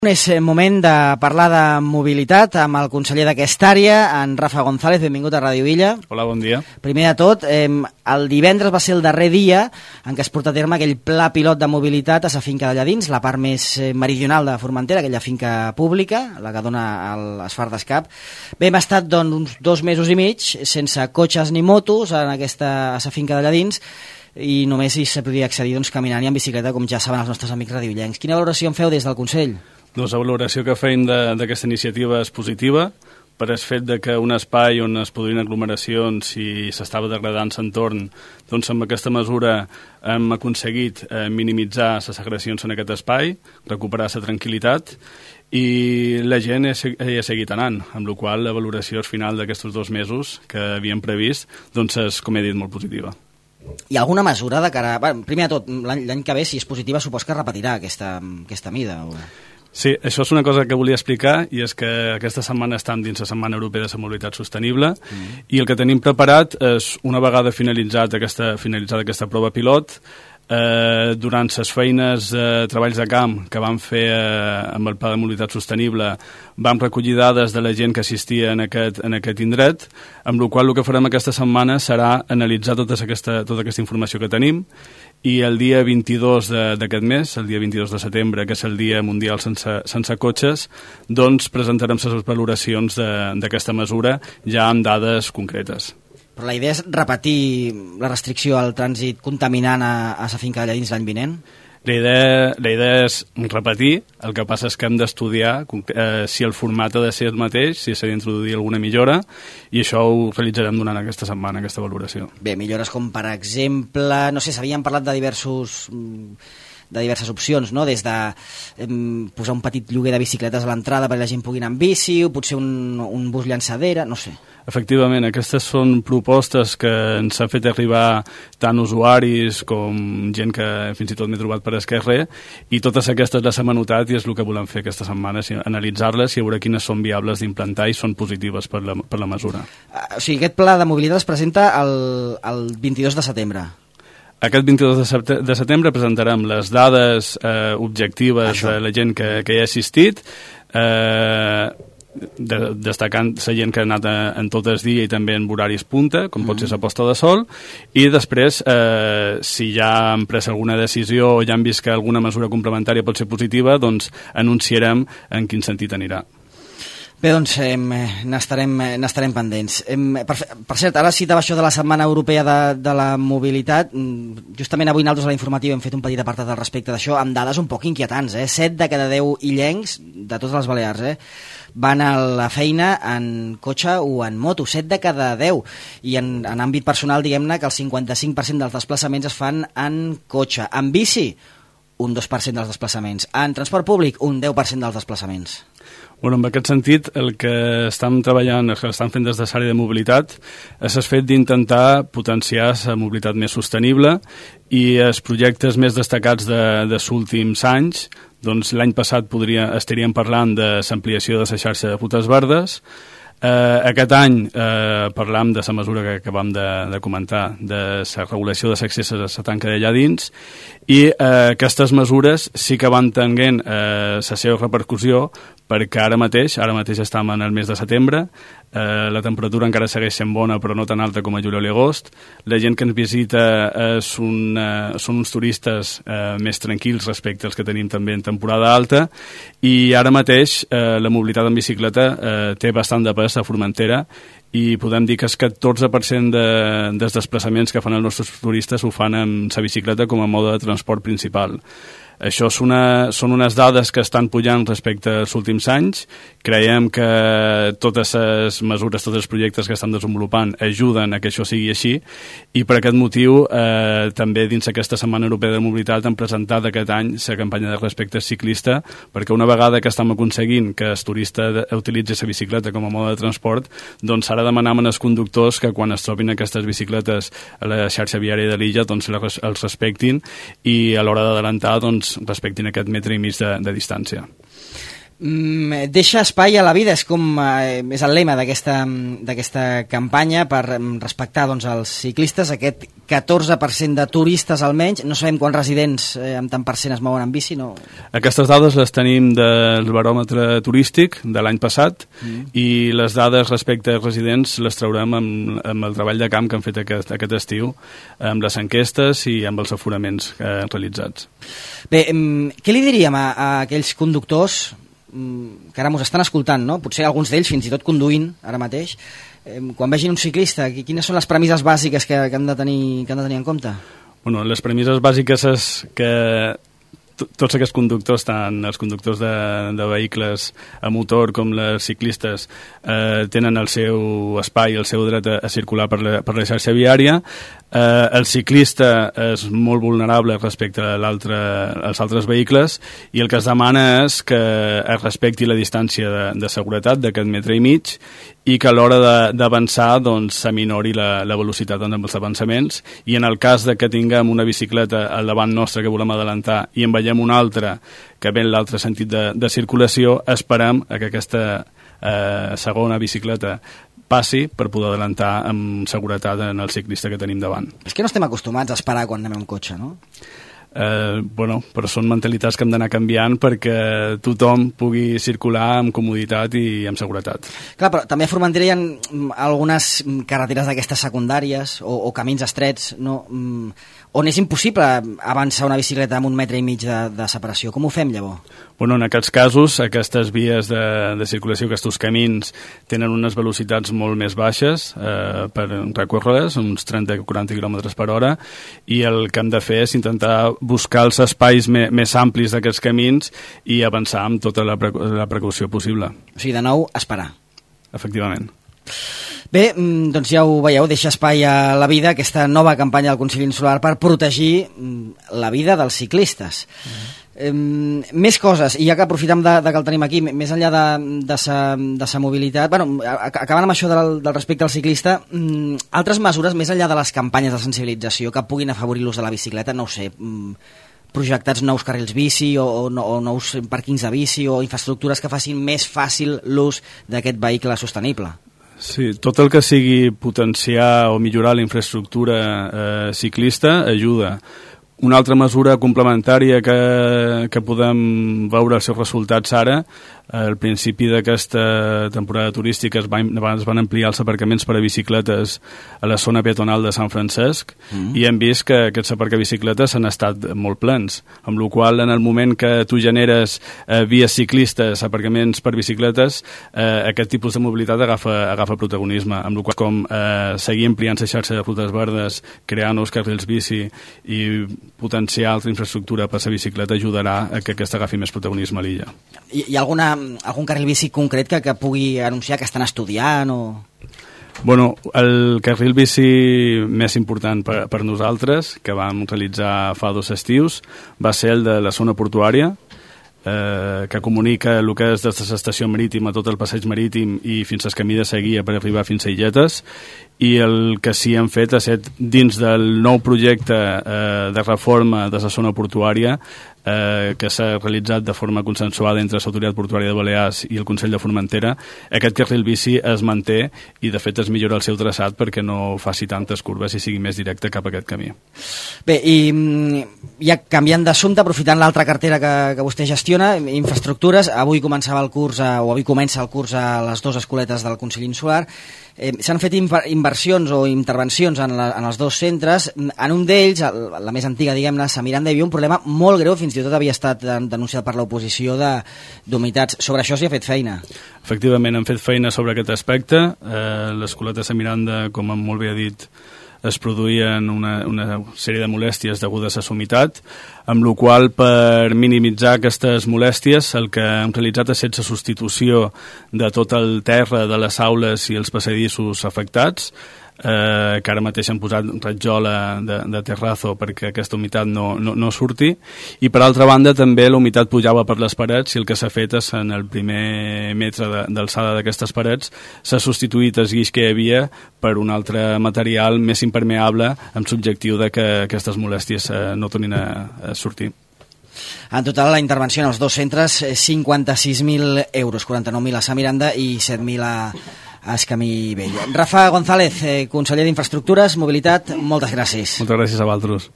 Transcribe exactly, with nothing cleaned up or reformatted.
És moment de parlar de mobilitat amb el conseller d'aquesta àrea, en Rafa González. Benvingut a Ràdio Illa. Hola, bon dia. Primer de tot, eh, el divendres va ser el darrer dia en què es porta a terme aquell pla pilot de mobilitat a sa finca d'allà dins, la part més meridional de Formentera, aquella finca pública, la que dona l'Esfar d'Escap. Bé, hem estat doncs, uns dos mesos i mig sense cotxes ni motos en aquesta, a sa finca d'allà dins, i només hi se podia accedir doncs, caminant i en bicicleta, com ja saben els nostres amics radioillencs. Quina valoració en feu des del Consell? Doncs la valoració que feim d'aquesta iniciativa és positiva, per el fet de que un espai on es produïen aglomeracions i s'estava degradant l'entorn, doncs amb aquesta mesura hem aconseguit eh, minimitzar les agressions en aquest espai, recuperar la tranquil·litat, i la gent hi ha, ha seguit anant, amb la qual la valoració final d'aquests dos mesos que havíem previst doncs és, com he dit, molt positiva. Hi ha alguna mesura de cara... Bueno, primer de tot, l'any que ve, si és positiva, supos que repetirà aquesta, aquesta mida? O... Sí, això és una cosa que volia explicar, i és que aquesta setmana estem dins la Setmana Europea de la Mobilitat Sostenible, mm. i el que tenim preparat és, una vegada finalitzat aquesta, finalitzada aquesta prova pilot, eh, durant les feines de eh, treballs de camp que vam fer eh, amb el Pla de Mobilitat Sostenible, vam recollir dades de la gent que assistia en aquest, en aquest indret, amb la qual el que farem aquesta setmana serà analitzar tota aquesta, tota aquesta informació que tenim, i el dia vint-i-dos d'aquest mes, el dia vint-i-dos de setembre, que és el dia mundial sense, sense cotxes, doncs presentarem les valoracions d'aquesta mesura ja amb dades concretes. Però la idea és repetir la restricció al trànsit contaminant a, a sa finca d'allà dins l'any vinent? La idea, la idea és repetir, el que passa és que hem d'estudiar eh, si el format ha de ser el mateix, si s'ha d'introduir alguna millora, i això ho realitzarem durant aquesta setmana, aquesta valoració. Bé, millores com, per exemple, no sé, s'havien parlat de diversos... de diverses opcions, no? Des de eh, posar un petit lloguer de bicicletes a l'entrada perquè la gent pugui anar amb bici, o potser un, un bus llançadera, no sé. Efectivament, aquestes són propostes que ens han fet arribar tant usuaris com gent que fins i tot m'he trobat per esquerre, i totes aquestes les hem anotat i és el que volem fer aquesta setmana, analitzar-les i veure quines són viables d'implantar i són positives per la, per la mesura. Uh, o sigui, aquest pla de mobilitat es presenta el, el vint-i-dos de setembre. Aquest vint-i-dos de setembre presentarem les dades eh, objectives Això. de la gent que, que hi ha assistit, eh, de, destacant la gent que ha anat a, en tot el dia i també en horaris punta, com mm. pot ser la posta de sol, i després, eh, si ja han pres alguna decisió o ja han vist que alguna mesura complementària pot ser positiva, doncs anunciarem en quin sentit anirà. Bé, doncs eh, n'estarem n'estarem pendents. Eh, per, per cert, ara citava això de la Setmana Europea de, de la Mobilitat. Justament avui nosaltres a la informativa hem fet un petit apartat al respecte d'això, amb dades un poc inquietants. Eh? set de cada deu illencs, de totes les Balears, eh? van a la feina en cotxe o en moto, set de cada deu. I en, en àmbit personal, diguem-ne que el cinquanta-cinc per cent dels desplaçaments es fan en cotxe. En bici, un dos per cent dels desplaçaments. En transport públic, un deu per cent dels desplaçaments. Bueno, en aquest sentit, el que estem treballant, el que estem fent des de l'àrea de mobilitat, és el fet d'intentar potenciar la mobilitat més sostenible, i els projectes més destacats de, dels últims anys, doncs l'any passat podria, estaríem parlant de l'ampliació de la xarxa de rutes verdes. Eh, aquest any eh, parlam de la mesura que acabam de, de comentar, de la regulació de l'accés a la tanca d'allà dins, i eh, aquestes mesures sí que van tenint eh, la seva repercussió, perquè ara mateix, ara mateix estem en el mes de setembre, eh, la temperatura encara segueix sent bona però no tan alta com a juliol i agost, la gent que ens visita és un, eh, són uns turistes eh, més tranquils respecte als que tenim també en temporada alta, i ara mateix eh, la mobilitat en bicicleta eh, té bastant de pes a Formentera, i podem dir que el catorze per cent de, dels desplaçaments que fan els nostres turistes ho fan amb la bicicleta com a mode de transport principal. Això és una, són unes dades que estan pujant respecte als últims anys. Creiem que totes les mesures, tots els projectes que estan desenvolupant ajuden a que això sigui així, i per aquest motiu eh, també dins aquesta Setmana Europea de Mobilitat hem presentat aquest any la campanya de respecte ciclista, perquè una vegada que estem aconseguint que el turista utilitzi la bicicleta com a mode de transport, doncs ara demanem als conductors que quan es trobin aquestes bicicletes a la xarxa viària de l'illa doncs els respectin, i a l'hora d'adelantar doncs respectin aquest metre i mig de, de distància. Mm, deixa espai a la vida, és com eh, és el lema d'aquesta d'aquesta campanya per respectar doncs, els ciclistes, aquest catorze per cent de turistes almenys, no sabem quants residents eh, amb tant per cent es mouen en bici, no? Aquestes dades les tenim del baròmetre turístic de l'any passat mm. i les dades respecte als residents les traurem amb, amb el treball de camp que han fet aquest, aquest estiu, amb les enquestes i amb els aforaments eh, realitzats. Bé, què li diríem a, a aquells conductors que ara ens estan escoltant, no? Potser alguns d'ells fins i tot conduint ara mateix, eh, quan vegin un ciclista, quines són les premisses bàsiques que, que, han de tenir, que han de tenir en compte? Bueno, les premisses bàsiques és que tots aquests conductors, tant els conductors de, de vehicles a motor com les ciclistes, eh, tenen el seu espai, el seu dret a, a circular per la, per la xarxa viària. Eh, el ciclista és molt vulnerable respecte a l'altre, als altres vehicles i el que es demana és que es respecti la distància de, de seguretat d'aquest metre i mig i que a l'hora d'avançar doncs, s'aminori la, la velocitat amb els avançaments i en el cas de que tinguem una bicicleta al davant nostre que volem adelantar i en veiem una altra que ve en l'altre sentit de, de circulació, esperem que aquesta eh, segona bicicleta passi per poder adelantar amb seguretat en el ciclista que tenim davant. És que no estem acostumats a esperar quan anem amb cotxe, no? Eh, bueno, però són mentalitats que hem d'anar canviant perquè tothom pugui circular amb comoditat i amb seguretat. Clar, però també a Formentera hi ha algunes carreteres d'aquestes secundàries o, o camins estrets, no? On és impossible avançar una bicicleta amb un metre i mig de, de separació. Com ho fem, llavors? Bueno, en aquests casos, aquestes vies de, de circulació, aquests camins, tenen unes velocitats molt més baixes eh, per recórrer-les, uns trenta a quaranta quilòmetres per hora, i el que hem de fer és intentar buscar els espais me, més amplis d'aquests camins i avançar amb tota la, pre la precaució possible. O sigui, de nou, esperar. Efectivament. Bé, doncs ja ho veieu, deixa espai a la vida, aquesta nova campanya del Consell Insular per protegir la vida dels ciclistes. Mm-hmm. Eh, més coses, i ja que aprofitem de, de que el tenim aquí, més enllà de, de, sa, de sa mobilitat, bueno, acabant amb això del, del respecte al ciclista, mm, altres mesures més enllà de les campanyes de sensibilització que puguin afavorir l'ús de la bicicleta, no ho sé, mm, projectats nous carrils bici o, o, o nous pàrquings de bici o infraestructures que facin més fàcil l'ús d'aquest vehicle sostenible. Sí, tot el que sigui potenciar o millorar la infraestructura eh, ciclista ajuda. Una altra mesura complementària que, que podem veure els seus resultats ara, al principi d'aquesta temporada turística es van, es van ampliar els aparcaments per a bicicletes a la zona peatonal de Sant Francesc mm. i hem vist que aquests aparcabicicletes han estat molt plens, amb la qual en el moment que tu generes eh, vies ciclistes, aparcaments per bicicletes, eh, aquest tipus de mobilitat agafa, agafa protagonisme, amb la qual com eh, seguir ampliant la xarxa de rutes verdes, crear nous carrils bici i potenciar altra infraestructura per a la bicicleta ajudarà a que aquesta agafi més protagonisme a l'illa. Hi, hi ha alguna, algun carril bici concret que, que pugui anunciar que estan estudiant o...? Bueno, el carril bici més important per, per nosaltres, que vam realitzar fa dos estius, va ser el de la zona portuària, eh, que comunica el que és des de l'estació marítima, tot el passeig marítim i fins al camí de Seguia per arribar fins a Illetes, i el que sí hem fet és dins del nou projecte eh, de reforma de la zona portuària eh, que s'ha realitzat de forma consensuada entre l'Autoritat Portuària de Balears i el Consell de Formentera, aquest carril bici es manté i de fet es millora el seu traçat perquè no faci tantes curves i sigui més directe cap a aquest camí. Bé, i ja canviant d'assumpte, aprofitant l'altra cartera que, que vostè gestiona, infraestructures, avui començava el curs, a, o avui comença el curs a les dues escoletes del Consell Insular. Eh, s'han fet inversions o intervencions en, la, en els dos centres. En un d'ells, la més antiga, diguem-ne, a Miranda, hi havia un problema molt greu, fins i tot havia estat denunciat per l'oposició d'humitats. Sobre això s'hi ha fet feina. Efectivament, hem fet feina sobre aquest aspecte. Eh, l'escoleta de Miranda, com molt bé ha dit, es produïen una, una sèrie de molèsties degudes a l'humitat, amb la qual per minimitzar aquestes molèsties el que hem realitzat és la substitució de tot el terra de les aules i els passadissos afectats, eh, que ara mateix han posat ratjola de, de terrazo perquè aquesta humitat no, no, no surti, i per altra banda també la humitat pujava per les parets i el que s'ha fet és en el primer metre d'alçada d'aquestes parets s'ha substituït el guix que hi havia per un altre material més impermeable amb l'objectiu de que aquestes molèsties eh, no tornin a, a sortir. En total, la intervenció en els dos centres, cinquanta-sis mil euros, quaranta-nou mil a Sant Miranda i set mil a, a Escamí Vell. Rafa González, eh, conseller d'Infraestructures, Mobilitat, moltes gràcies. Moltes gràcies a vosaltres.